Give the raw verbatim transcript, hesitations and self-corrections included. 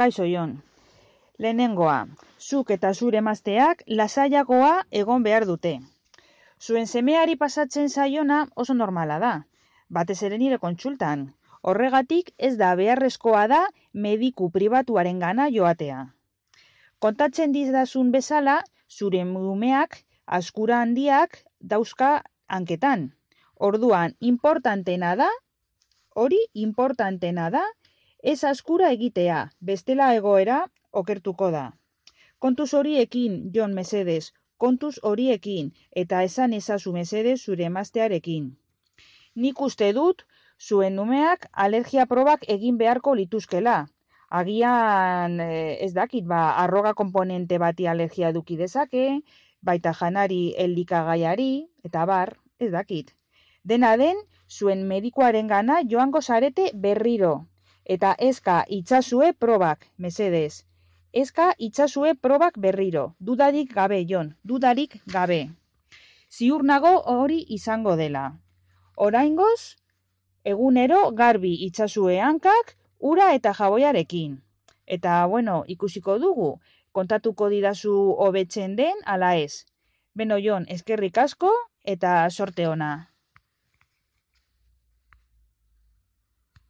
Kaixo Jon, lehenengoa, zuk eta zure emazteak lasaiagoa egon behar dute. Zuen semeari pasatzen zaiona oso normala da, batez ere nire kontsultan. Horregatik ez da beharrezkoa da mediku pribatuaren gana joatea. Kontatzen dizazun bezala, zure umeak azkura handiak dauzka hanketan. Orduan, importantena da, hori importantena da, ez azkura egitea, bestela egoera okertuko da. Kontuz horiekin, Jon mesedez, kontuz horiekin, eta esan ezazu mesedez zure emaztearekin. Nik uste dut, zuen umeak alergia probak egin beharko lituzkela. Agian ez dakit, ba, arroga konponente bati alergia eduki dezake, baita janari elikagaiari, eta bar, ez dakit. Dena den, zuen medikuaren gana joango zarete berriro. Eta eska itzazue probak, mesedez. Eska itzazue probak berriro. Dudarik gabe, Jon, dudarik gabe. Ziur nago hori izango dela. Oraingoz, egunero garbi itzazue hankak, ura eta jaboiarekin. Eta, bueno, ikusiko dugu, kontatuko didazu hobetzen den ala ez. Beno, Jon, eskerrik asko eta sorte ona.